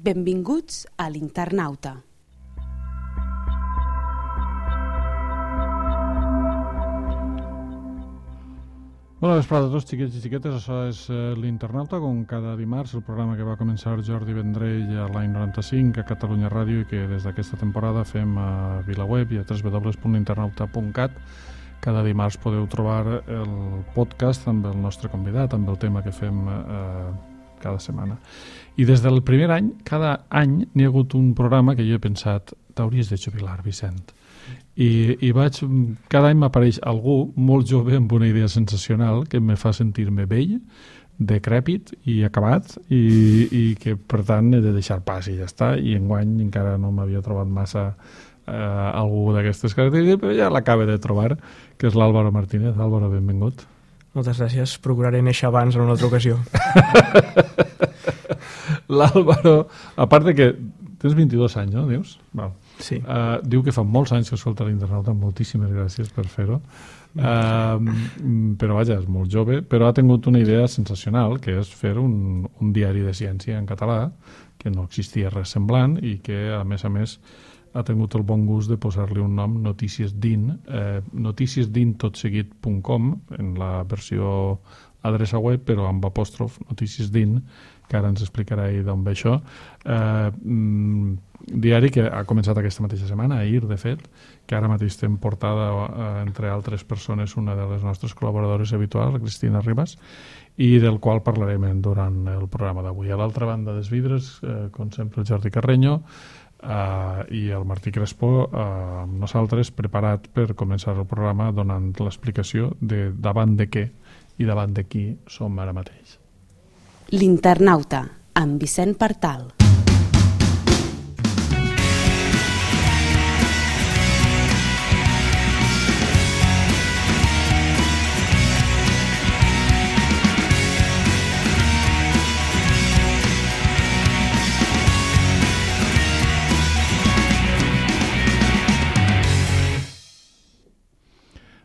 Benvinguts a l'Internauta. Bona vesprada a tots, xiquets i xiquetes. Això és l'Internauta, com cada dimarts, el programa que va començar Jordi Vendrell a l'any 95 a Catalunya Ràdio i que des d'aquesta temporada fem a VilaWeb i a www.internauta.cat. Cada dimarts podeu trobar el podcast amb el nostre convidat, amb el tema que fem cada setmana. I des del primer any, cada any, n'hi ha hagut un programa que jo he pensat, t'hauries de jubilar, Vicent. I cada any m'apareix algú molt jove amb una idea sensacional que me fa sentir-me vell, decrèpit i acabat i que per tant he de deixar pas i ja està, i enguany encara no m'havia trobat massa algú d'aquestes característiques, però ja l'acaba de trobar, que és l'Álvaro Martínez. Álvaro, benvingut. Moltes gràcies, procuraré néixer abans en una altra ocasió. L'Álvaro, a part de que tens 22 anys, no, dius? Val. Sí. Diu que fa molts anys que escolta l'Internauta, moltíssimes gràcies per fer-ho. Però vaja, és molt jove, però ha tingut una idea sensacional, que és fer un diari de ciència en català, que no existia res semblant i que, a més, ha tingut el bon gust de posar-li un nom, Notícies DIN, noticiesdintotseguit.com, en la versió adreça web, però amb apòstrof, Notícies DIN, que ara ens explicarà ell d'on ve això. Diari que ha començat aquesta mateixa setmana, ahir, de fet, que ara mateix té en portada, entre altres persones, una de les nostres col·laboradores habituals, la Cristina Ribas, i del qual parlarem durant el programa d'avui. A l'altra banda dels vidres, com sempre, el Jordi Carreño i el Martí Crespo, amb nosaltres, preparat per començar el programa donant l'explicació de davant de què i davant de qui som ara mateix. L'Internauta, amb Vicent Partal.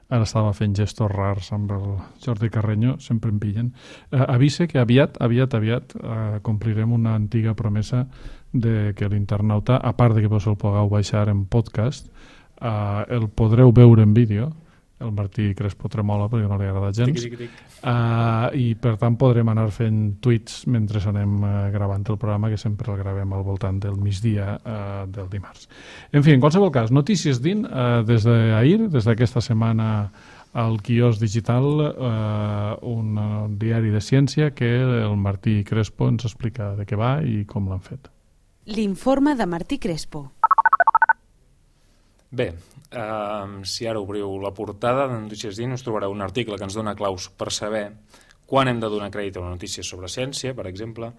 Ara estava fent gestos rars amb el Jordi Carreño, sempre em pillen. Avise que aviat complirem una antiga promesa de que l'Internauta, a part de que vos el pugueu baixar en podcast, el podreu veure en vídeo. El Martí Crespo tremola perquè no li agrada gens. I per tant podrem anar fent tuits mentre anem gravant el programa, que sempre el gravem al voltant del migdia del dimarts. En fi, en qualsevol cas, Notícies DIN, des d'ahir, des d'aquesta setmana al quiosc digital, un diari de ciència que el Martí Crespo ens explica de què va i com l'han fet. L'informe de Martí Crespo. Bé, si ara obriu la portada de Notícies DIN us trobareu un article que ens dona claus per saber quan hem de donar crèdit a una notícia sobre ciència, per exemple.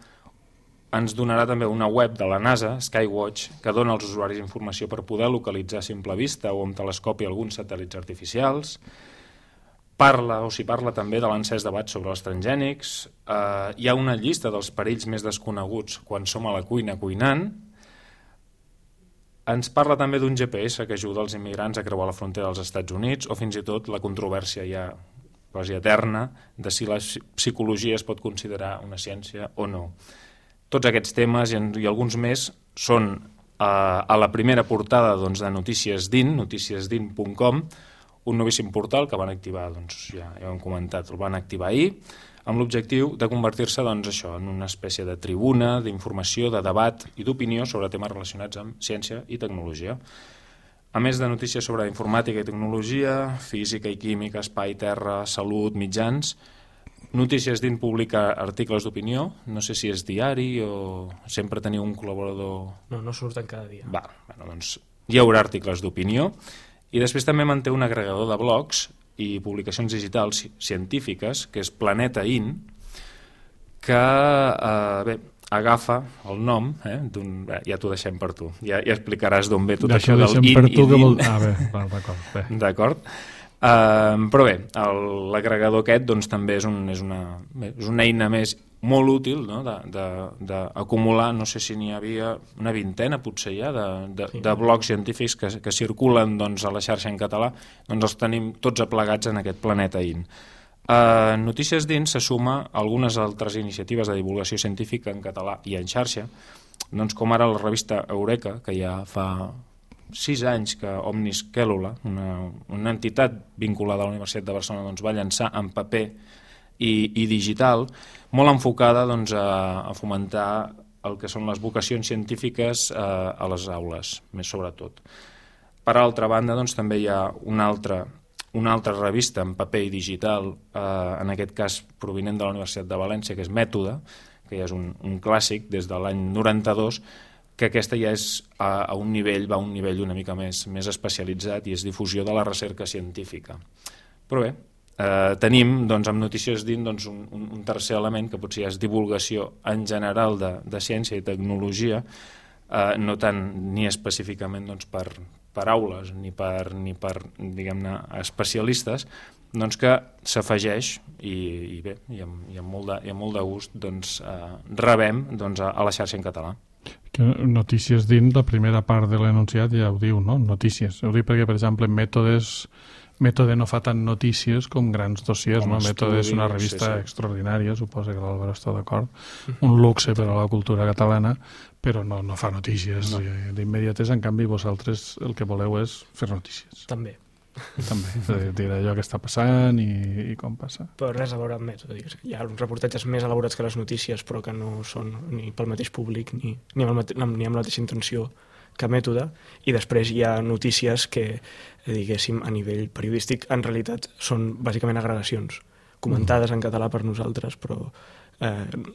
Ens donarà també una web de la NASA, Skywatch, que dona als usuaris informació per poder localitzar a simple vista o amb telescopi alguns satèl·lits artificials. Parla també de l'encès debat sobre els transgènics. Hi ha una llista dels perills més desconeguts quan som a la cuina cuinant. Ens parla també d'un GPS que ajuda els immigrants a creuar la frontera dels Estats Units, o fins i tot la controvèrsia ja quasi eterna de si la psicologia es pot considerar una ciència o no. Tots aquests temes i alguns més són a la primera portada de Notícies DIN, noticiesdin.com, un novíssim portal que van activar, ja ho hem comentat, el van activar ahir, amb l'objectiu de convertir-se en una espècie de tribuna d'informació, de debat i d'opinió sobre temes relacionats amb ciència i tecnologia. A més de notícies sobre informàtica i tecnologia, física i química, espai, terra, salut, mitjans, Notícies DIN publica articles d'opinió, no sé si és diari o sempre teniu un col·laborador... No surten cada dia. Hi haurà articles d'opinió i després també manté un agregador de blogs i publicacions digitals científiques, que és Planeta In, que agafa el nom, ja t'ho deixem per tu, ja explicaràs d'on ve tot això del in i din. D'acord. Però bé, l'agregador aquest doncs, també és una eina més molt útil, no? D'acumular, no sé si n'hi havia una vintena potser ja de blogs científics que circulen a la xarxa en català, doncs els tenim tots aplegats en aquest Planeta In. Notícies dins se suma a algunes altres iniciatives de divulgació científica en català i en xarxa, doncs com ara la revista Eureka, que ja fa 6 anys que Omnis Cellula, una entitat vinculada a la Universitat de Barcelona, doncs, va llançar en paper i digital, molt enfocada doncs, a fomentar el que són les vocacions científiques a les aules, més sobretot. Per altra banda, doncs, també hi ha una altra revista en paper i digital, en aquest cas provinent de la Universitat de València, que és Mètode, que ja és un clàssic des de l'any 92, que aquesta ja és va a un nivell una mica més especialitzat i és difusió de la recerca científica. Però bé, tenim doncs, amb Notícies dins doncs, un tercer element que potser és divulgació en general de ciència i tecnologia, no tant ni específicament doncs, per aules ni per diguem-ne, especialistes, doncs que s'afegeix i bé, i amb molt de gust doncs, rebem doncs, a la xarxa en català. Notícies dins, la primera part de l'enunciat ja ho diu, no? Notícies. Ho dic perquè, per exemple, Mètode no fa tant notícies com grans dossiers, no? Mètode és una revista extraordinària, suposo que l'Àlvaro està d'acord, un luxe per a la cultura catalana, però no fa notícies d'immediates. En canvi, vosaltres el que voleu és fer notícies. També, dir allò que està passant i com passa. però res a veure amb Mètode. Hi ha uns reportatges més elaborats que les notícies, però que no són ni pel mateix públic ni amb la mateixa intenció que Mètode, i després hi ha notícies que, diguéssim, a nivell periodístic, en realitat són bàsicament agregacions, comentades en català per nosaltres, però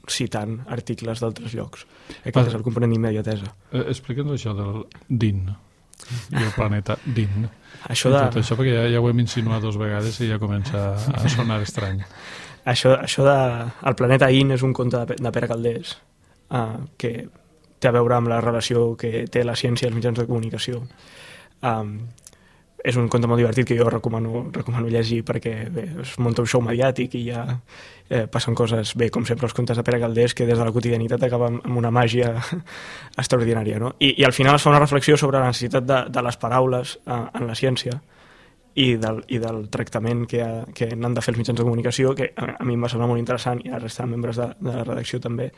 citant articles d'altres llocs. Aquest és el component d'immediatesa. Explica'ns això del DIN i el planeta DIN. Això tot això, perquè ja ho hem insinuat 2 vegades i ja comença a sonar estrany. Això el planeta IN és un conte de Pere Calders, que té a veure amb la relació que té la ciència i els mitjans de comunicació. És un conte molt divertit que jo recomano llegir perquè bé, es munta un show mediàtic i ja passen coses, bé, com sempre els contes de Pere Calders, que des de la quotidianitat acaben amb una màgia extraordinària, no? I al final es fa una reflexió sobre la necessitat de les paraules en la ciència i del tractament que n'han de fer els mitjans de comunicació, que a mi em va semblar molt interessant, i a la resta de membres de la redacció també,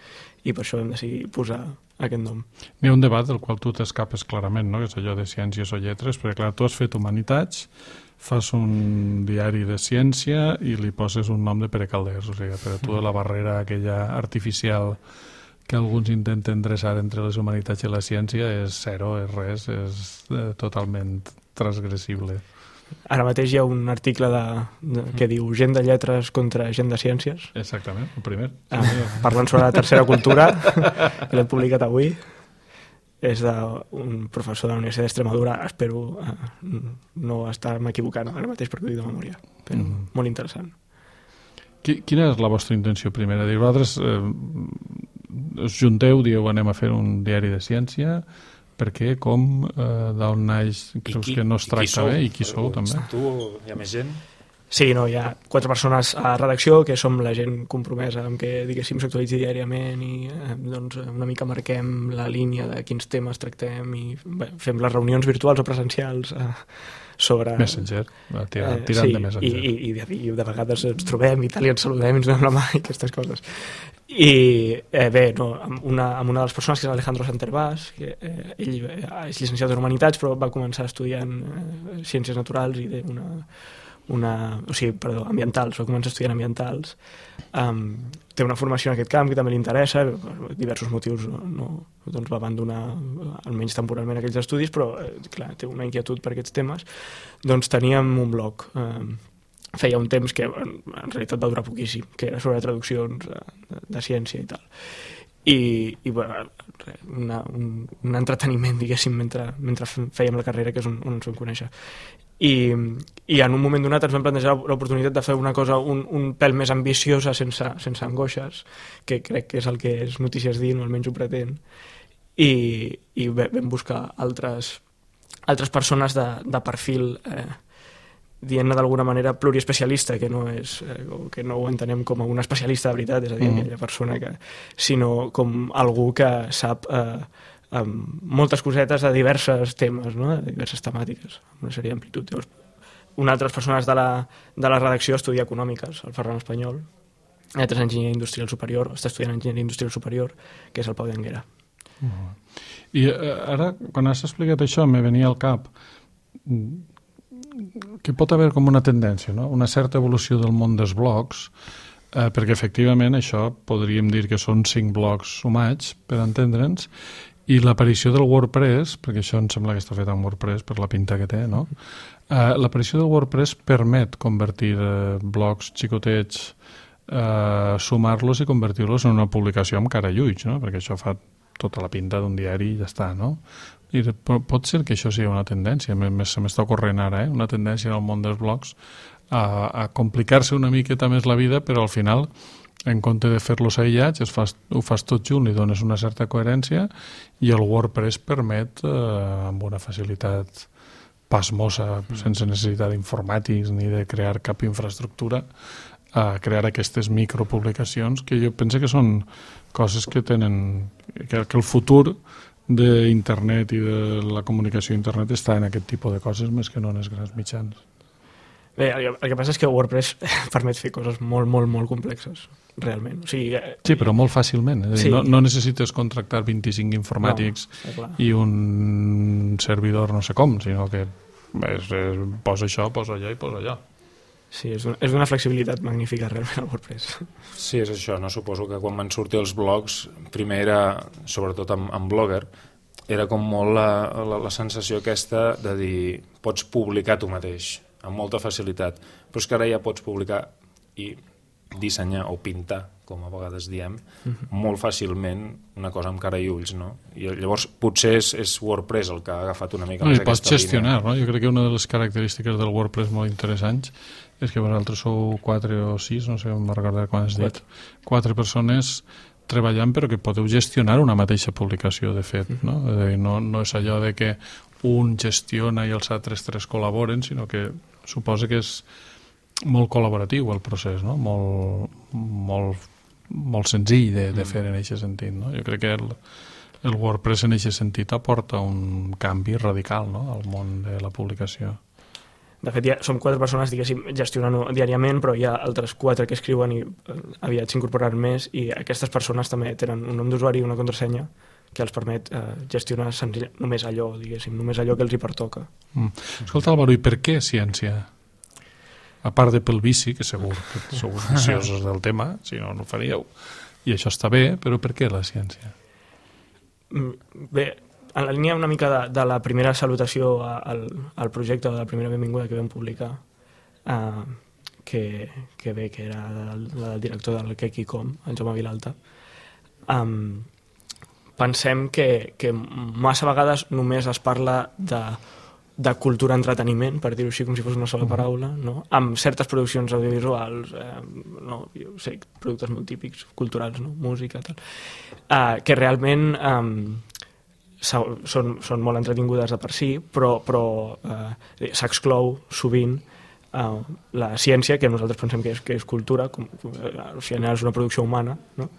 i per això vam decidir posar aquest nom. Hi ha un debat del qual tu t'escapes clarament, no? Que és allò de ciències o lletres, perquè clar, tu has fet humanitats, fas un diari de ciència i li poses un nom de Pere Calders, o sigui, per a tu la barrera aquella artificial que alguns intenten dreçar entre les humanitats i la ciència és zero, és res, és totalment transgressible. Ara mateix hi ha un article que diu gent de lletres contra gent de ciències. Exactament, el primer. Parlant sobre la tercera cultura, que l'hem publicat avui. És d'un professor de la Universitat d'Extremadura. Espero no estar-me equivocant ara mateix perquè ho dic de memòria. Però molt interessant. Quina és la vostra intenció primera? Vosaltres us junteu, dieu anem a fer un diari de ciència. Per què, com, d'on naix, creus que no es tracta bé? I qui sou, també? Tu, hi ha més gent? Sí, no, hi ha 4 persones a redacció, que som la gent compromesa amb que, diguéssim, s'actualitzi diàriament i doncs, una mica marquem la línia de quins temes tractem i bé, fem les reunions virtuals o presencials sobre... Messenger, tirant de Messenger. I de vegades ens trobem i tal, i ens saludem i ens donem la mà i aquestes coses. I bé, no, amb una de les persones, que és Alejandro Santervás, que ell és llicenciat en Humanitats, però va començar estudiant Ciències Naturals i ambientals, va començar estudiant ambientals. Té una formació en aquest camp que també li interessa, per diversos motius doncs va abandonar almenys temporalment aquells estudis, però clar, té una inquietud per aquests temes. Doncs teníem un blog, feia un temps que en realitat va durar poquíssim, que era sobre traduccions de ciència i tal. I bueno, un entreteniment, diguéssim, mentre fèiem la carrera, que és on ens vam conèixer. I en un moment donat ens vam plantejar l'oportunitat de fer una cosa un pèl més ambiciosa, sense angoixes, que crec que és el que és Notícies dins, o almenys ho pretén, i vam buscar altres persones de perfil dient-ne d'alguna manera pluriespecialista, que no ho entenem com un especialista de veritat, és a dir, aquella persona sinó com algú que sap moltes cosetes de diversos temes, no? De diverses temàtiques, amb una sèrie d'amplitud. Llavors una altra persones de la redacció estudia econòmiques, el Ferran Espanyol, l'altre és enginyer industrial superior, està estudiant enginyeria industrial superior, que és el Pau d'Anguera. I ara, quan has explicat això, me venia al cap que pot haver com una tendència, no? Una certa evolució del món dels blogs, perquè efectivament això podríem dir que són 5 blogs sumats, per entendre'ns, i l'aparició del WordPress, perquè això em sembla que està fet amb WordPress per la pinta que té, no? L'aparició del WordPress permet convertir blogs xicotets, sumar-los i convertir-los en una publicació amb cara i ulls, no? Perquè això fa tota la pinta d'un diari i ja està, no? I pot ser que això sigui una tendència, se m'està ocorrent ara, una tendència en el món dels blogs a complicar-se una miqueta més la vida, però al final, en compte de fer-los aïllats, ho fas tot junt, li dones una certa coherència i el WordPress permet, amb una facilitat pasmosa, sense necessitat d'informàtics ni de crear cap infraestructura, a crear aquestes micropublicacions que jo penso que són coses que tenen... que el futur d'internet i de la comunicació a internet està en aquest tipus de coses més que no en els grans mitjans. Bé, el que passa és que WordPress permet fer coses molt, molt, molt complexes, realment. O sigui, sí, però molt fàcilment. És a dir, no necessites contractar 25 informàtics i un servidor no sé com, sinó que posa això, posa allò i posa allò. Sí, és una flexibilitat magnífica realment el WordPress. Sí, és això, no? Suposo que quan van sortir els blogs, primer era, sobretot amb Blogger, era com molt la sensació aquesta de dir pots publicar tu mateix, amb molta facilitat, però és que ara ja pots publicar i dissenyar o pintar, com a vegades diem, molt fàcilment una cosa amb cara i ulls, no? I llavors potser és WordPress el que ha agafat una mica més aquesta línia. Pots gestionar, no? Jo crec que una de les característiques del WordPress molt interessants és que vosaltres sou 4 o 6, no sé, em va recordar quan has dit, 4 persones treballant però que podeu gestionar una mateixa publicació, de fet, no? És a dir, no és allò de que un gestiona i els altres 3 col·laboren, sinó que suposa que és molt col·laboratiu el procés, no? Molt senzill de fer en aquest sentit, no? Jo crec que el WordPress en aquest sentit aporta un canvi radical, no? Al món de la publicació. De fet, ja som 4 persones, diguéssim, gestionant diàriament, però hi ha altres 4 que escriuen i aviat s'incorporaran més, i aquestes persones també tenen un nom d'usuari i una contrasenya que els permet gestionar només allò, diguéssim, només allò que els hi pertoca. Escolta, Álvaro, i per què ciència? A part de pel vici, que segur que sou viciosos del tema, si no, no ho faríeu, i això està bé, però per què la ciència? Bé, en la línia una mica de la primera salutació al projecte, de la primera benvinguda que vam publicar, que era el director del Kekicom, en Jaume Vilalta, pensem que massa vegades només es parla de cultura-entreteniment, per dir-ho així com si fos una sola paraula, no? Amb certes produccions audiovisuals, jo sé, productes molt típics, culturals, no? Música, tal, que realment són molt entretingudes de per si, però s'exclou sovint la ciència, que nosaltres pensem que és cultura, al final és una producció humana, no?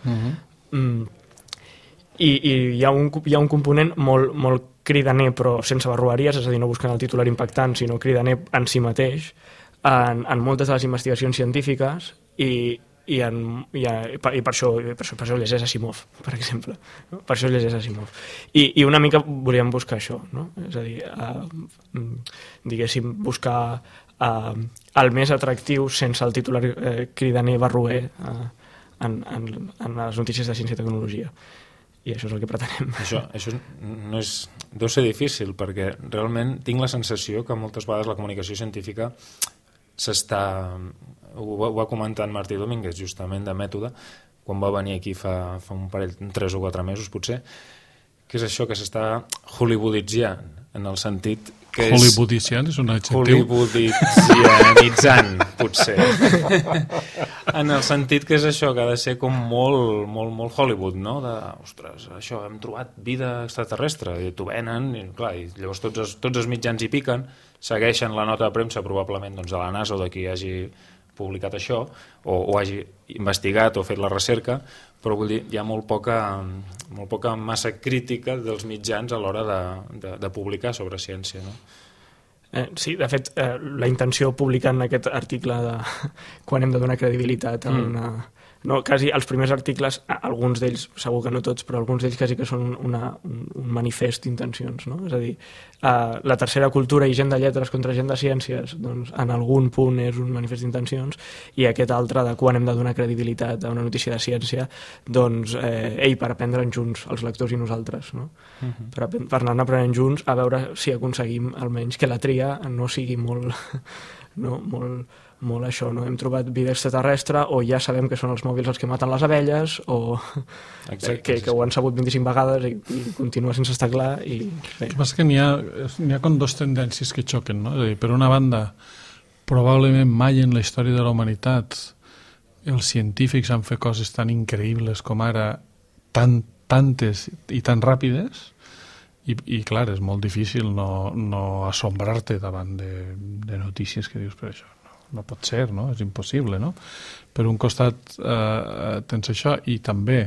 I hi ha un component molt cridaner, però sense barroeries, és a dir, no buscant el titular impactant, sinó cridaner en si mateix, en moltes de les investigacions científiques, i per això llegeix Asimov, per exemple. Per això llegeix Asimov. I una mica volíem buscar això, no? És a dir, diguéssim, buscar el més atractiu sense el titular cridaner barroer en les notícies de ciència i tecnologia. I això és el que pretenem. Això no és... deu ser difícil, perquè realment tinc la sensació que moltes vegades la comunicació científica s'està... Ho va comentar en Martí Domínguez, justament, de Mètode, quan va venir aquí fa un parell, 3 o 4 mesos, potser, que és això que s'està hollywooditzant, en el sentit que és... Hollywooditzant és un adjectiu? Hollywooditzant, potser. En el sentit que és això, que ha de ser com molt Hollywood, no? Ostres, això, hem trobat vida extraterrestre, i t'ho venen, i clar, i llavors tots els mitjans hi piquen, segueixen la nota de premsa, probablement de la NASA o de qui hagi publicat això, o hagi investigat o fet la recerca, però vull dir, hi ha molt poca massa crítica dels mitjans a l'hora de publicar sobre ciència, no? Sí, de fet, la intenció publicant aquest article de quan hem de donar credibilitat a una... No, quasi els primers articles, alguns d'ells, segur que no tots, però alguns d'ells quasi que són un manifest d'intencions, no? És a dir, la tercera cultura i gent de lletres contra gent de ciències, doncs en algun punt és un manifest d'intencions, i aquest altre de quan hem de donar credibilitat a una notícia de ciència, doncs, per aprendre'n junts, els lectors i nosaltres, no? Per anar aprenent junts, a veure si aconseguim almenys que la tria no sigui molt... no, molt això, no? Hem trobat vida extraterrestre o ja sabem que són els mòbils els que maten les abelles o que ho han sabut 25 vegades i continua sense estar clar i... El que passa que n'hi ha com dos tendències que xoquen, no? És a dir, per una banda, probablement mai en la història de la humanitat els científics han fet coses tan increïbles com ara, tantes i tan ràpides, i clar, és molt difícil no assombrar-te davant de notícies que dius, per això no pot ser, no? És impossible, no? Per un costat tens això i també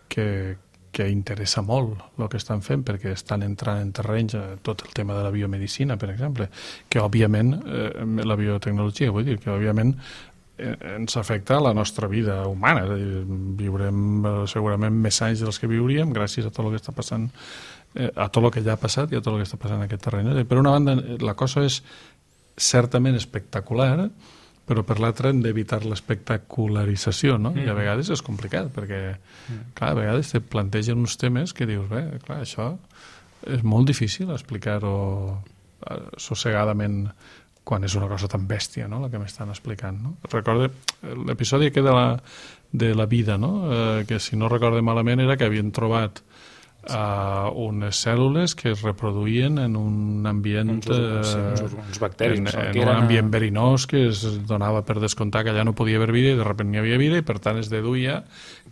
que interessa molt el que estan fent perquè estan entrant en terrenys tot el tema de la biomedicina, per exemple, que òbviament la biotecnologia, vull dir, que òbviament ens afecta a la nostra vida humana, és a dir, viurem segurament més anys dels que viuríem gràcies a tot el que està passant, a tot el que ja ha passat i a tot el que està passant en aquest terreny. Per una banda, la cosa és certament espectacular, però per l'altra hem d'evitar l'espectacularització, no? I a vegades és complicat, perquè clar, a vegades te plantegen uns temes que dius, bé, clar, això és molt difícil explicar-ho sossegadament quan és una cosa tan bèstia, no?, la que m'estan explicant, no? Recordo l'episodi que de la vida, no?, que si no recorde malament era que havien trobat unes cèl·lules que es reproduïen en un ambient uns bacteris en un ambient verinós que es donava per descomptar que allà no podia haver vida i de sobte n'hi havia vida i per tant es deduïa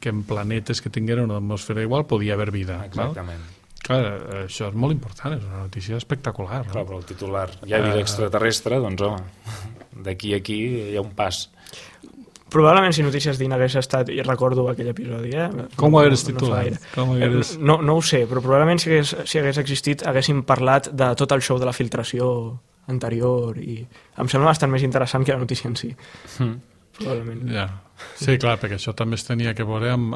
que en planetes que tingueren una atmosfera igual podia haver vida. Exactament. Clar, això és molt important, és una notícia espectacular, no? Clar, però el titular, hi ha vida extraterrestre, doncs home, d'aquí a aquí hi ha un pas. Probablement si Notícies d'In hagués estat, i recordo aquell episodi, com ho hagués titulat? No ho sé, però probablement si hagués existit haguéssim parlat de tot el show de la filtració anterior i em sembla bastant més interessant que la notícia en si. Probablement. Ja. Sí, clar, perquè això també es tenia que veure amb...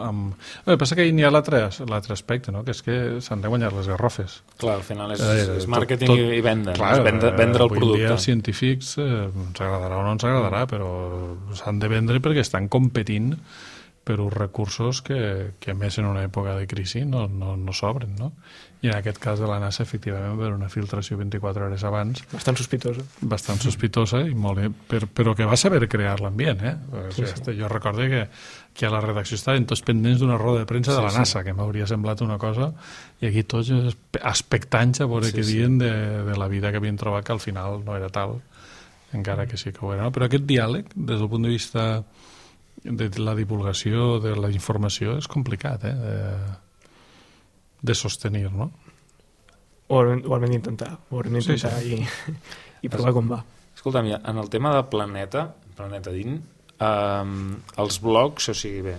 El que passa que n'hi ha l'altre aspecte, no?, que és que s'han de guanyar les garrofes. Clar, al final és màrqueting i venda, clar, vendre el producte. Avui dia els científics ens agradarà o no ens agradarà, però s'han de vendre perquè estan competint per uns recursos que més en una època de crisi no s'obren, no? I en aquest cas de la NASA, efectivament, per una filtració 24 hores abans... Bastant sospitosa. Bastant sospitosa, i molt bé, però que va saber crear l'ambient, Sí. Jo recordo que a la redacció estaven tots pendents d'una roda de premsa de la NASA, que m'hauria semblat una cosa, i aquí tots expectants a veure què diuen de la vida que havien trobat, que al final no era tal, encara que sí que ho era. Però aquest diàleg, des del punt de vista de la divulgació de la informació, és complicat, de sostenir, no? Ho haurem d'intentar i provar com va. Escolta'm, en el tema de Planeta DIN, els blogs, o sigui, bé,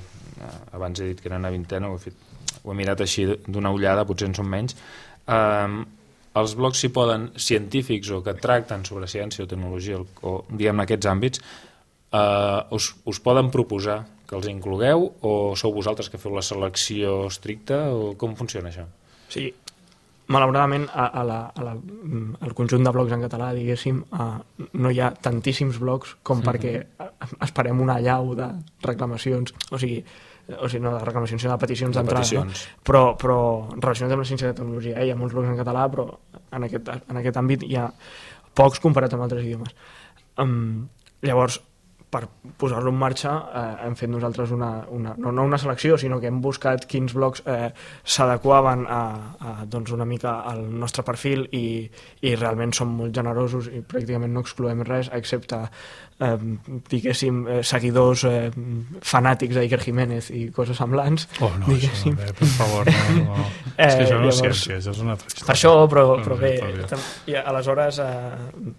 abans he dit que era una vintena, ho he mirat així d'una ullada, potser en són menys, els blogs s'hi poden, científics o que tracten sobre ciència o tecnologia o diguem aquests àmbits, us poden proposar que els inclogueu o sou vosaltres que feu la selecció estricta o com funciona això? Sí, malauradament al conjunt de blogs en català, diguéssim, no hi ha tantíssims blogs com perquè esperem una allau de reclamacions, o sigui, no de reclamacions, sinó de peticions d'entrada, no? Però relacionat amb la ciència i la tecnologia, hi ha molts blogs en català, però en aquest àmbit hi ha pocs comparat amb altres idiomes. Llavors, per posar-lo en marxa hem fet nosaltres no una selecció, sinó que hem buscat quins blogs s'adequaven una mica al nostre perfil i realment som molt generosos i pràcticament no excloem res, excepte diguéssim seguidors fanàtics d'Iker Jiménez i coses semblants. No, això no, per favor, no. És que això no és ciència, això és una altra història. Per això, però bé, i aleshores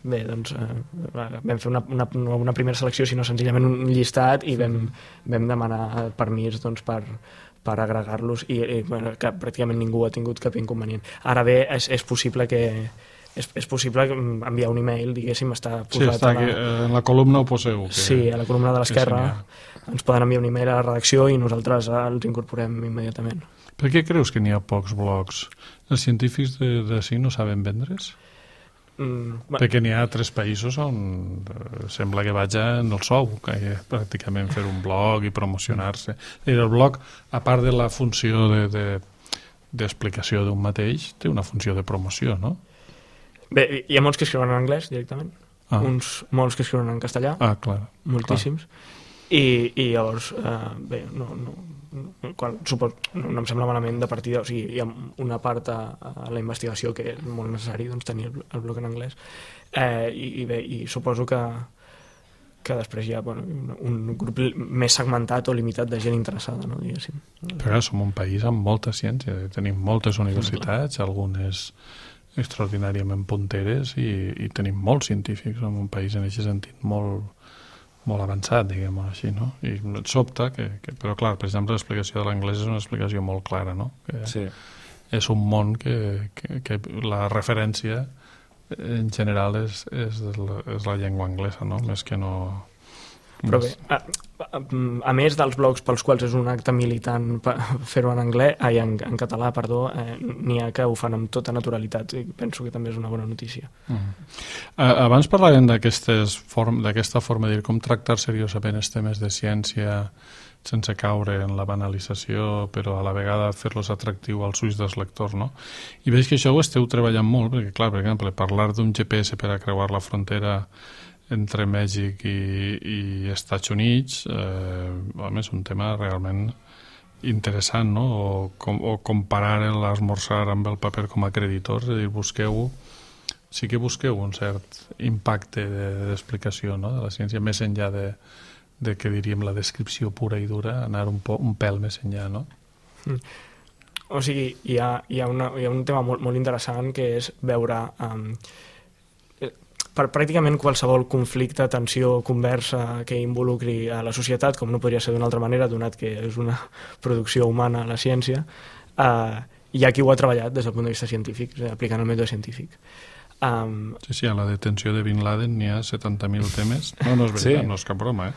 bé, doncs vam fer una primera selecció, sinó senzillament un llistat i vam demanar permís per agregar-los i que pràcticament ningú ha tingut cap inconvenient. Ara bé, és possible que és possible enviar un email, diguéssim, està posat sí, està aquí, en la columna ho poseu. Sí, a la columna de l'esquerra ens poden enviar un email a la redacció i nosaltres els incorporem immediatament. Per què creus que n'hi ha pocs blogs? Els científics d'ací no saben vendre's? Perquè n'hi ha 3 països on sembla que vaja en el sou, que pràcticament fer un blog i promocionar-se. El blog, a part de la funció d'explicació d'un mateix, té una funció de promoció, no? Bé, hi ha molts que escriuen en anglès directament, molts que escriuen en castellà, clar, moltíssims, i llavors, bé, no em sembla malament de partida, o sigui, hi ha una part a la investigació que és molt necessari tenir el blog en anglès, i suposo que després hi ha un grup més segmentat o limitat de gent interessada, no, diguéssim. Però som un país amb molta ciència, tenim moltes universitats, algunes extraordinàriament punteres, i tenim molts científics, som un país en aquest sentit molt avançat, diguem-ho així, no? I et sobta però clar, per exemple, l'explicació de l'anglès és una explicació molt clara, no? Sí. És un món que la referència en general és la llengua anglesa, no? Més que no... Però bé, a més dels blogs pels quals és un acte militant fer-ho en català, n'hi ha que ho fan amb tota naturalitat, i penso que també és una bona notícia. Abans parlàvem d'aquesta forma de dir com tractar seriosament els temes de ciència sense caure en la banalització, però a la vegada fer-los atractiu als ulls dels lectors, no? I veig que això ho esteu treballant molt, perquè, clar, per exemple, parlar d'un GPS per a creuar la frontera entre Mèxic i Estats Units és un tema realment interessant, no? O comparar l'esmorzar amb el paper com a creditors, és a dir, sí que busqueu un cert impacte d'explicació, no? De la ciència, més enllà de que diríem la descripció pura i dura, anar un pèl més enllà, no? O sigui, hi ha un tema molt interessant, que és veure per pràcticament qualsevol conflicte, tensió, conversa que involucri a la societat, com no podria ser d'una altra manera, donat que és una producció humana, la ciència, hi ha qui ho ha treballat des del punt de vista científic, aplicant el mètode científic. Sí, a la detenció de Bin Laden n'hi ha 70.000 temes. No és veritat, no és cap broma,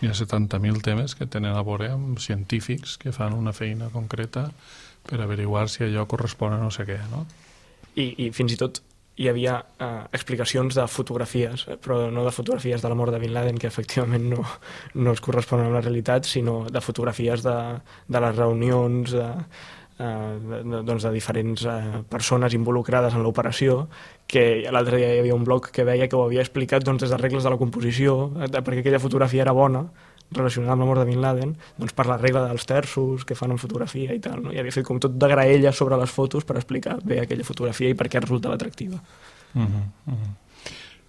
N'hi ha 70.000 temes que tenen a veure amb científics que fan una feina concreta per averiguar si allò correspon a no sé què, no? I fins i tot hi havia explicacions de fotografies, però no de fotografies de la mort de Bin Laden, que efectivament no es corresponen amb la realitat, sinó de fotografies de les reunions de diferents persones involucrades en l'operació, que l'altre dia hi havia un blog que veia que ho havia explicat des de regles de la composició, perquè aquella fotografia era bona, relacionada amb la mort de Bin Laden, per la regla dels terços que fan en fotografia i tal, no? I havia fet com tot de graella sobre les fotos per explicar bé aquella fotografia i per què resultava atractiva.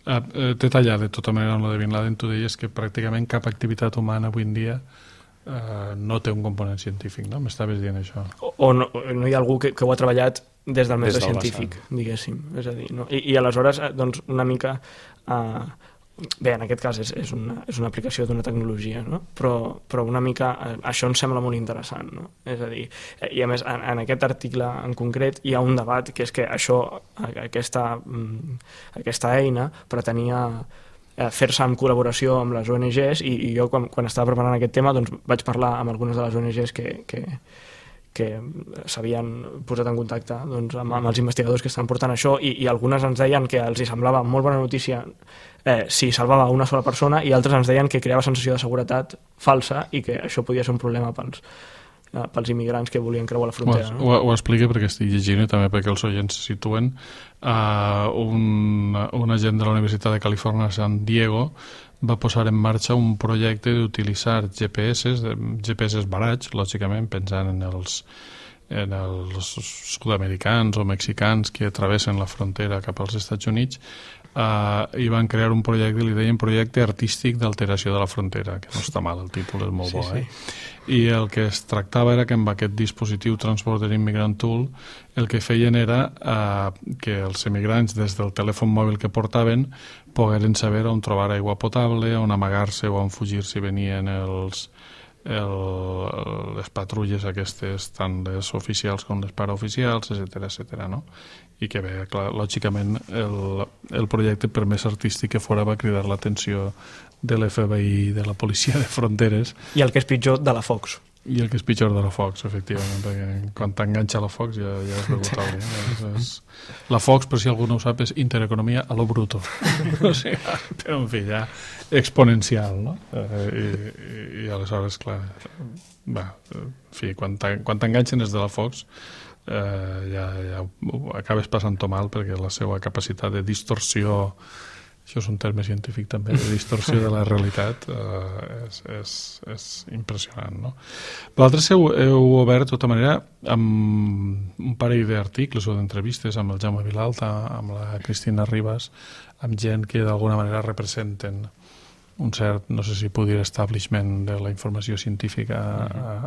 T'he tallat de tota manera amb la de Bin Laden. Tu deies que pràcticament cap activitat humana avui en dia no té un component científic, no? M'estaves dient això. O no hi ha algú que ho ha treballat des del mètode científic, diguéssim. És a dir, no? I aleshores, una mica... Bé, en aquest cas és una aplicació d'una tecnologia, no? Però una mica això ens sembla molt interessant, no? És a dir, i a més en aquest article en concret hi ha un debat que és que aquesta eina pretenia fer-se en col·laboració amb les ONGs, i jo quan estava preparant aquest tema vaig parlar amb algunes de les ONGs que s'havien posat en contacte amb els investigadors que estan portant això, i algunes ens deien que els hi semblava molt bona notícia si salvava una sola persona, i altres ens deien que creava sensació de seguretat falsa i que això podia ser un problema pels immigrants que volien creuar la frontera. No? Ho explica perquè estic llegint i també perquè els oients se situen. Un agent de la Universitat de Califòrnia a San Diego va posar en marxa un projecte d'utilitzar GPS barats, lògicament pensant en els sud-americans o mexicans que travessen la frontera cap als Estats Units, i van crear un projecte, li deien projecte artístic d'alteració de la frontera, que no està mal, el títol és molt bo, I el que es tractava era que amb aquest dispositiu Transporter Immigrant Tool el que feien era que els immigrants des del telèfon mòbil que portaven pogueren saber on trobar aigua potable, on amagar-se o on fugir si venien els les patrulles aquestes, tant les oficials com les paraoficials, etc., no? I que bé, clar, lògicament el projecte, per més artístic que fora, va cridar l'atenció de l'FBI, de la policia de fronteres. I el que és pitjor, de la Fox. I el que és pitjor, de la Fox, efectivament, perquè quan t'enganxa la Fox ja has begut alguna. La Fox, per si algú no ho sap, és intereconomia a lo bruto. O sigui, però en fi, ja exponencial, no? I aleshores, clar, va, en fi, quan t'enganxen és de la Fox, ja acabes passant-ho mal, perquè la seva capacitat de distorsió, això és un terme científic també, de distorsió de la realitat, és impressionant, no? L'altre heu obert, de tota manera, amb un parell d'articles o d'entrevistes amb el Jaume Vilalta, amb la Cristina Ribas, amb gent que d'alguna manera representen un cert, no sé si puc dir, establishment de la informació científica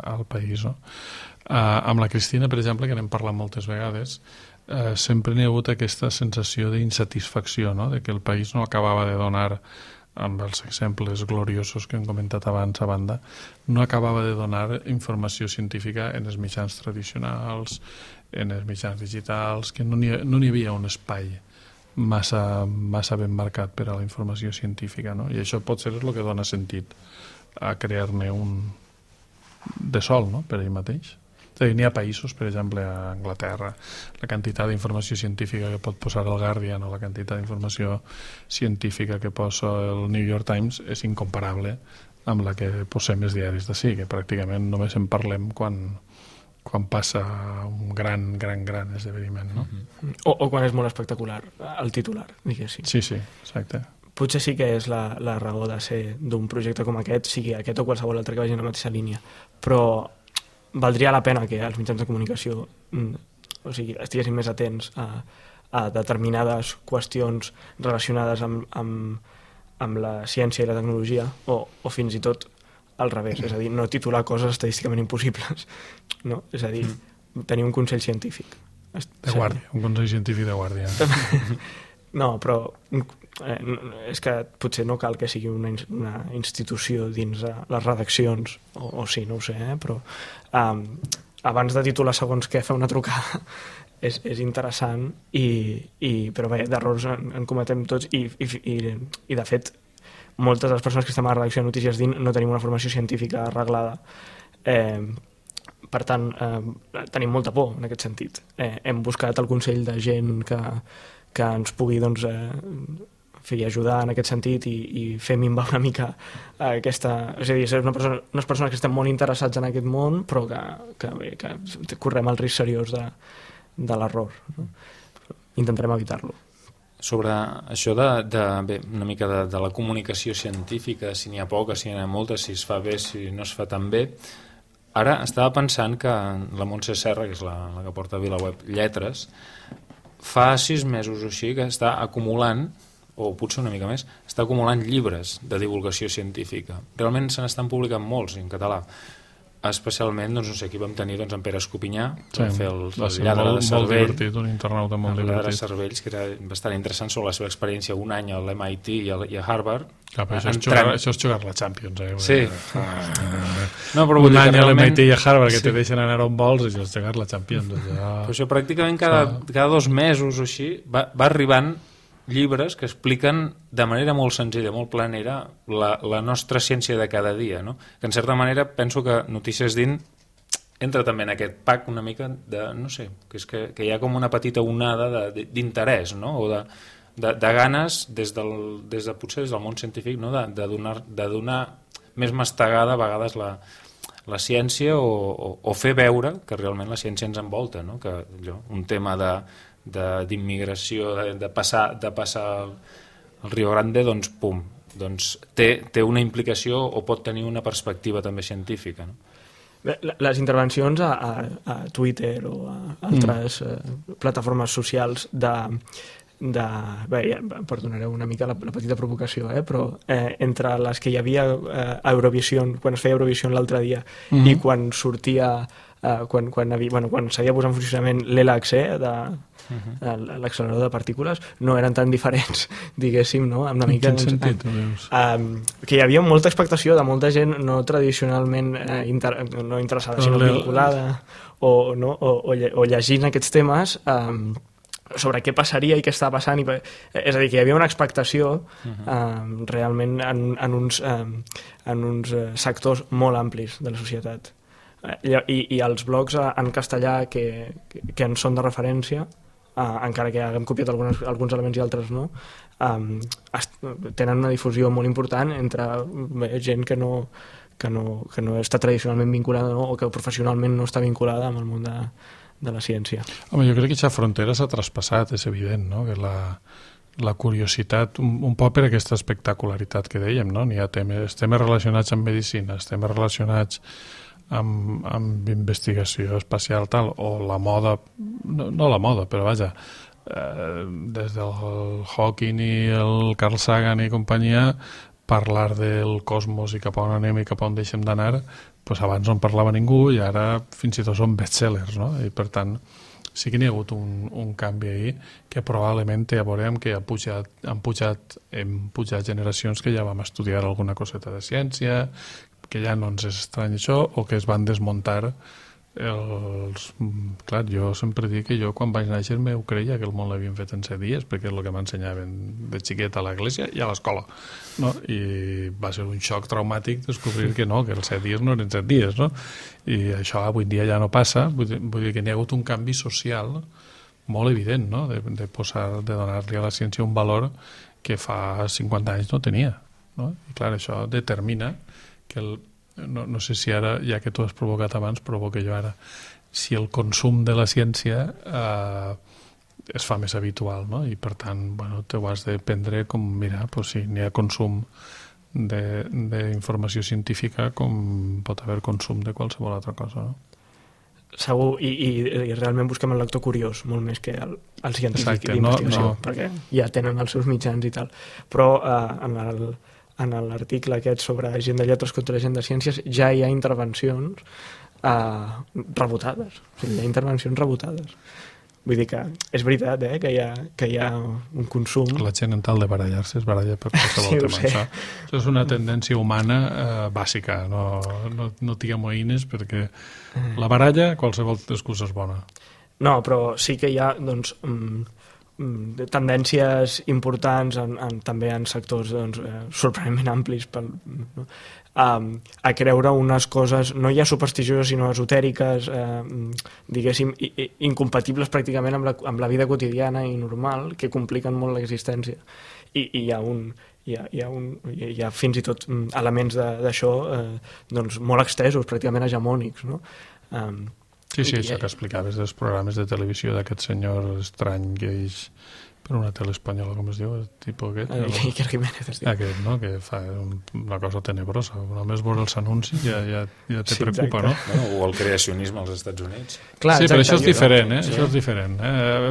al país, no? Amb la Cristina, per exemple, que n'hem parlat moltes vegades, sempre n'hi ha hagut aquesta sensació d'insatisfacció, no? De que el país no acabava de donar, amb els exemples gloriosos que hem comentat abans a banda, no acabava de donar informació científica en els mitjans tradicionals, en els mitjans digitals, que no n'hi havia un espai massa ben marcat per a la informació científica, no? I això pot ser el que dona sentit a crear-ne un de sol, no? Per ell mateix. N'hi ha països, per exemple, a Anglaterra, la quantitat d'informació científica que pot posar el Guardian o la quantitat d'informació científica que posa el New York Times és incomparable amb la que posem els diaris d'ací, que pràcticament només en parlem quan passa un gran esdeveniment, no? O quan és molt espectacular, el titular, diguéssim. Sí, exacte. Potser sí que és la raó de ser d'un projecte com aquest, sigui aquest o qualsevol altre que vagi en la mateixa línia, però valdria la pena que els mitjans de comunicació estiguessin més atents a determinades qüestions relacionades amb la ciència i la tecnologia, o fins i tot al revés, és a dir, no titular coses estadísticament impossibles, no? És a dir, tenir un consell científic. De guàrdia, un consell científic de guàrdia. No, però és que potser no cal que sigui una institució dins les redaccions, o sí, no ho sé, però abans de titular segons què fer una trucada és interessant, però bé, d'errors en cometem tots, i de fet moltes de les persones que estem a la redacció de Notícies DIN no tenim una formació científica arreglada, per tant tenim molta por en aquest sentit. Hem buscat el consell de gent que ens pugui ajudar en aquest sentit i fer minvar una mica aquesta... És a dir, ser unes persones que estem molt interessats en aquest món, però que correm el risc seriós de l'error, no? Intentarem evitar-lo. Sobre això una mica de la comunicació científica, si n'hi ha poca, si n'hi ha molta, si es fa bé, si no es fa tan bé. Ara estava pensant que la Montse Serra, que és la que porta a VilaWeb Lletres, fa 6 mesos o així que està acumulant, o potser una mica més, està acumulant llibres de divulgació científica. Realment se n'estan publicant molts en català. Especialment, doncs, no sé, aquí vam tenir en Pere Escopinyà, que va fer el lladre de Cervell, molt divertit, un internauta molt divertit. El lladre de Cervells, que era bastant interessant sobre la seva experiència un any a l'MIT i a Harvard. Clar, però això és jugar la Champions, Sí. No, però un any a l'MIT i a Harvard que te deixen anar on vols, això és jugar la Champions. Però això pràcticament cada 2 mesos o així va arribant llibres que expliquen de manera molt senzilla, molt planera, la nostra ciència de cada dia, no? Que en certa manera penso que Notícies DIN entra també en aquest pack una mica de, no sé, que és que hi ha com una petita onada d'interès, no? O de ganes potser des del món científic, no? de donar més mastegada a vegades la ciència o fer veure que realment la ciència ens envolta, no? Que un tema d'immigració, de passar el Rio Grande, doncs té una implicació o pot tenir una perspectiva també científica, no? Bé, les intervencions a Twitter o a altres plataformes socials perdonareu una mica la petita provocació, però entre les que hi havia a Eurovision, quan es feia Eurovision l'altre dia, i quan sortia quan s'havia posat en funcionament l'ELAC, l'accelerador de partícules, no eren tan diferents, diguéssim, no? Amb una mica, en quin sentit, que hi havia molta expectació de molta gent no tradicionalment no interessada, sinó vinculada o llegint aquests temes sobre què passaria i què estava passant. És a dir, que hi havia una expectació realment en uns sectors molt amplis de la societat. I els blogs en castellà que en són de referència, encara que haguem copiat alguns elements i altres no, tenen una difusió molt important entre gent que no està tradicionalment vinculada o que professionalment no està vinculada amb el món de la ciència. Home, jo crec que aquesta frontera s'ha traspassat, és evident, no? Que la curiositat, un poc per aquesta espectacularitat que dèiem, no? N'hi ha temes relacionats amb medicina, temes relacionats amb investigació espacial tal, o la moda, no la moda, però vaja, des del Hawking i el Carl Sagan i companyia, parlar del cosmos i cap on anem i cap on deixem d'anar, doncs abans no en parlava ningú i ara fins i tot són bestsellers, no? I per tant sí que n'hi ha hagut un canvi ahí que probablement té a veure amb que hem pujat generacions que ja vam estudiar alguna coseta de ciència, que ja no ens és estrany això, o que es van desmuntar Clar, jo sempre dic que jo quan vaig néixer m'ho creia que el món l'havien fet en 7 dies, perquè és el que m'ensenyaven de xiquet a l'església i a l'escola, no? I va ser un xoc traumàtic descobrir que no, que els 7 dies no eren 7 dies, no? I això avui dia ja no passa, vull dir que n'hi ha hagut un canvi social molt evident, no? De donar-li a la ciència un valor que fa 50 anys no tenia, no? I clar, això determina que no sé si ara, ja que tu has provocat abans, provoque jo ara, si el consum de la ciència es fa més habitual, no? I per tant, bueno, t'ho has de prendre com, mira, pues sí, n'hi ha consum d'informació científica com pot haver consum de qualsevol altra cosa, no? Segur, i realment busquem el lector curiós, molt més que el científic d'investigació, perquè ja tenen els seus mitjans i tal. Però en l'article aquest sobre gent de lletres contra gent de ciències ja hi ha intervencions rebutades. O sigui, hi ha intervencions rebutades. Vull dir que és veritat, que hi ha un consum. La gent en tal de barallar-se es baralla per qualsevol tema. Això és una tendència humana bàsica. No t'hi amoïnes perquè la baralla, qualsevol excusa és bona. No, però sí que hi ha, doncs, tendències importants també en sectors sorprenentment amplis a creure unes coses no ja supersticioses sinó esotèriques, diguéssim, incompatibles pràcticament amb la vida quotidiana i normal, que compliquen molt l'existència. I hi ha fins i tot elements d'això molt extesos, pràcticament hegemònics, no? Sí, això que explicaves dels programes de televisió d'aquest senyor estrany que és per una tele espanyola, com es diu, el tipus aquest? Iker Jiménez, es diu. Aquest, no?, que fa una cosa tenebrosa. Només veure els anuncis ja te preocupa, no? O el creacionisme als Estats Units. Clar, sí, però això és diferent, Això és diferent.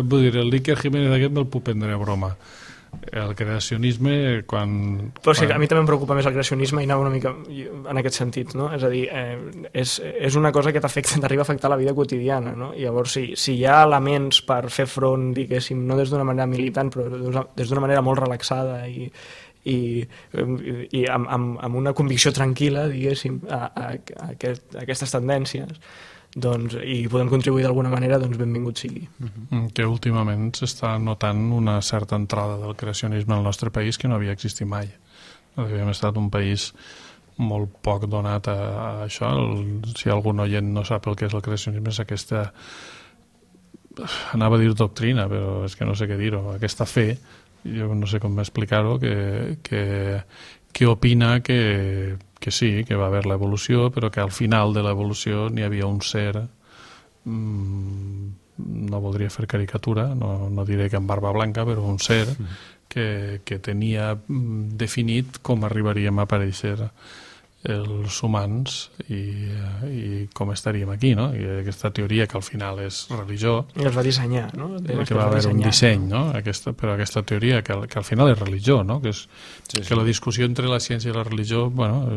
Vull dir, el Iker Jiménez aquest me'l puc prendre a broma. El creacionisme, Però sí, a mi també em preocupa més el creacionisme i anava una mica en aquest sentit, no? És a dir, és una cosa que t'arriba a afectar la vida quotidiana, no? I llavors, si hi ha elements per fer front, diguéssim, no des d'una manera militant, però des d'una manera molt relaxada i amb una convicció tranquil·la, diguéssim, a aquestes tendències, doncs, i podem contribuir d'alguna manera, doncs benvingut sigui. Que últimament s'està notant una certa entrada del creacionisme al nostre país que no havia existit mai. Havíem estat un país molt poc donat a això. Si algun oient no sap el que és el creacionisme, és aquesta, anava a dir doctrina, però és que no sé què dir-ho, aquesta fe, jo no sé com explicar-ho, que opina que sí, que va haver l'evolució, però que al final de l'evolució n'hi havia un ser, no voldria fer caricatura, no diré que amb barba blanca, però un ser que tenia definit com arribaríem a aparèixer els humans i com estaríem aquí, no? I aquesta teoria que al final és religió, I els va dissenyar, no? que va haver un disseny, no? Però aquesta teoria que al final és religió, no? Que la discussió entre la ciència i la religió, bueno,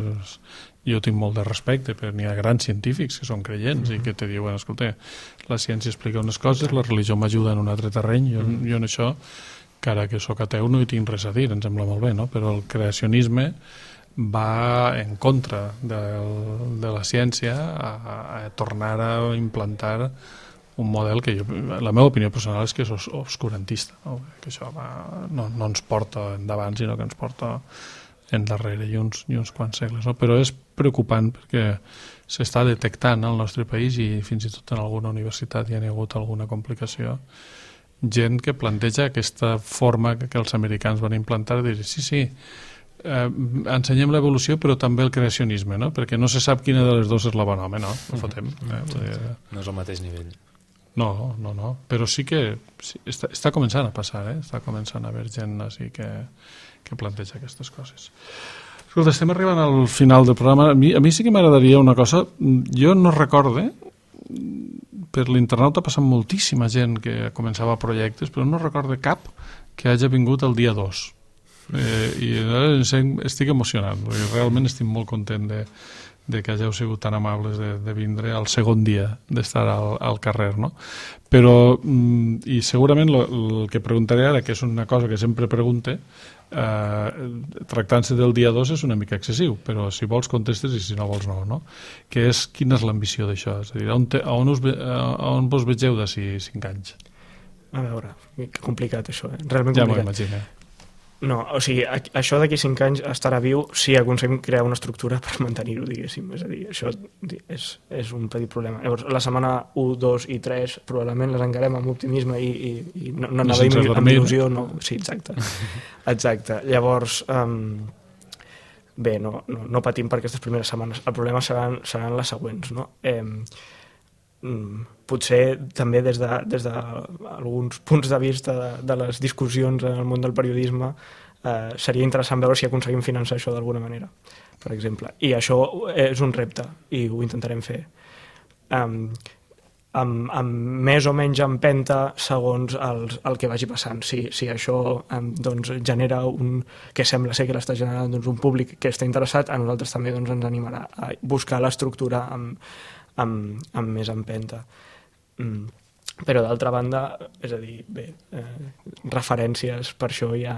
jo tinc molt de respecte, però n'hi ha grans científics que són creients i que te diuen, escolta, la ciència explica unes coses, la religió m'ajuda en un altre terreny, jo en això, encara que sóc ateu, no hi tinc res a dir, em sembla molt bé, no? Però el creacionisme va en contra de la ciència a tornar a implantar un model que la meva opinió personal és que és obscurantista, no? Que això no ens porta endavant, sinó que ens porta endarrere i uns quants segles, no? Però és preocupant perquè s'està detectant al nostre país i fins i tot en alguna universitat hi ha hagut alguna complicació, gent que planteja aquesta forma que els americans van implantar de dir, sí, ensenyem l'evolució però també el creacionisme, no? Perquè no se sap quina de les dues és la bona, home, no? No fotem. No és al mateix nivell. No, però sí que està començant a passar, està començant a haver gent així que planteja aquestes coses. Escolta, estem arribant al final del programa. A mi sí que m'agradaria una cosa. Jo no recorde, per l'internauta ha passat moltíssima gent que començava projectes, però no recorde cap que hagi vingut el dia 2. I estic emocionat, perquè realment estic molt content de que hàgiu sigut tan amables de vindre al segon dia d'estar al carrer, no? Però, i segurament el que preguntaré ara, que és una cosa que sempre pregunte, tractant-se del dia 2 és una mica excessiu, però si vols contestes i si no vols no? Que és, quina és l'ambició d'això? És a dir, on vos vegeu d'ací 5 anys? A veure, que complicat això, realment ja complicat. m'ho imagino. No, o sigui, això d'aquí 5 anys estarà viu si aconseguim crear una estructura per mantenir-ho, diguéssim. És a dir, això és un petit problema. Llavors, la setmana 1, 2 i 3 probablement les encarem amb optimisme i no anava amb il·lusió. No. Sí, exacte. Exacte. Llavors, bé, no patim per aquestes primeres setmanes. El problema seran les següents, no? Potser també des d'alguns punts de vista de les discussions en el món del periodisme seria interessant veure si aconseguim finançar això d'alguna manera, per exemple. I això és un repte i ho intentarem fer. Amb més o menys empenta segons el que vagi passant. Si això genera que sembla ser que l'està generant un públic que està interessat, a nosaltres també ens animarà a buscar l'estructura amb més empenta. Però d'altra banda, és a dir, bé, referències, per això ja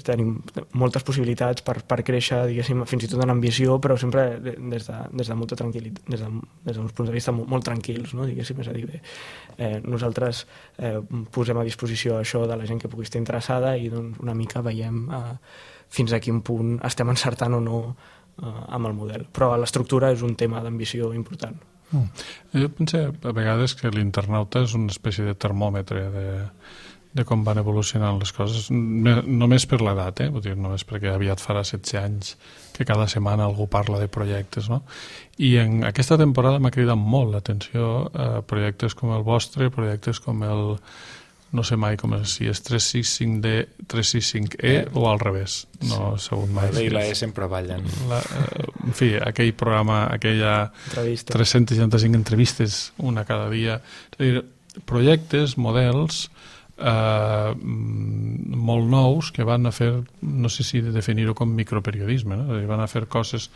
tenim moltes possibilitats per créixer, diguéssim, fins i tot en ambició, però sempre des de molta tranquil·litat, des d'uns punts de vista molt tranquils, no? Diguéssim, és a dir, bé, nosaltres posem a disposició això de la gent que pugui estar interessada i una mica veiem fins a quin punt estem encertant o no amb el model. Però l'estructura és un tema d'ambició important. Jo penso a vegades que l'internauta és una espècie de termòmetre de com van evolucionant les coses, només per l'edat, vull dir, només perquè aviat farà 16 anys que cada setmana algú parla de projectes, no? I en aquesta temporada m'ha cridat molt l'atenció projectes com el vostre, projectes com el, no sé mai com és, si és 365D, 365E o al revés, no he sabut mai. La I la E sempre ballen. En fi, aquell programa, aquella 365 entrevistes, una cada dia, és a dir, projectes, models molt nous que van a fer, no sé si definir-ho com microperiodisme, no? És a dir, van a fer coses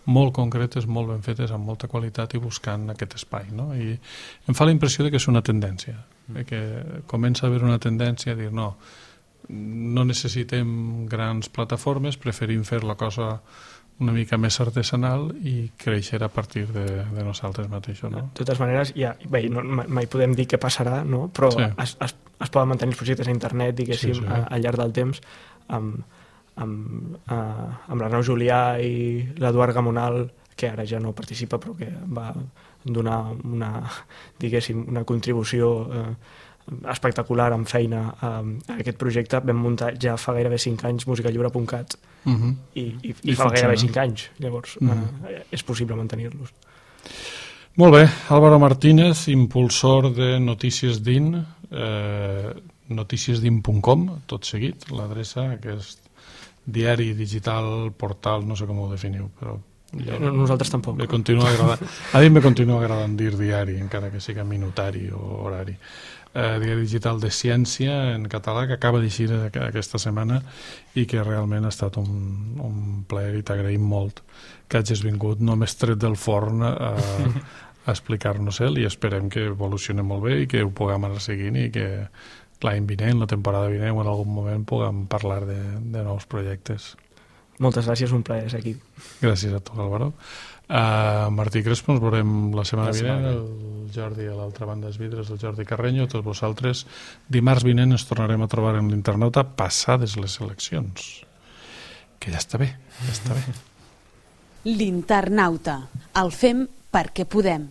molt concretes, molt ben fetes, amb molta qualitat i buscant aquest espai, no? I em fa la impressió de que és una tendència, que comença a haver una tendència a dir no necessitem grans plataformes, preferim fer la cosa una mica més artesanal i créixer a partir de nosaltres mateixos, no? De totes maneres, bé, mai podem dir què passarà, no? Però sí. Es poden mantenir els projectes a internet, diguéssim, sí. Al llarg del temps, amb l'Arnau Julià i l'Eduard Gamonal, que ara ja no participa, però que va donar una contribució espectacular amb feina a aquest projecte. Vam muntar ja fa gairebé 5 anys musicallliure.cat i fa gairebé 5 anys, llavors és possible mantenir-los. Molt bé, Álvaro Martínez, impulsor de Notícies DIN, noticiesdin.com, tot seguit, l'adreça, que és diari digital, portal, no sé com ho definiu, però Nosaltres tampoc. A mi me continua agradant dir diari, encara que siga minutari o horari. Diari digital de ciència en català, que acaba d'eixir aquesta setmana i que realment ha estat un plaer i t'agraïm molt que hagis vingut només tret del forn a explicar-nos-el, i esperem que evolucioni molt bé i que ho puguem anar seguint i que l'any vinent, la temporada vinent o en algun moment puguem parlar de nous projectes. Moltes gràcies, un plaer ser aquí. Gràcies a tu, Álvaro. Martí Crespo, ens veurem la setmana vinent, el Jordi a l'altra banda dels vidres, el Jordi Carreño, tots vosaltres. Dimarts vinent ens tornarem a trobar en l'Internauta passades les eleccions, que ja està bé, ja està bé. L'Internauta. El fem perquè podem.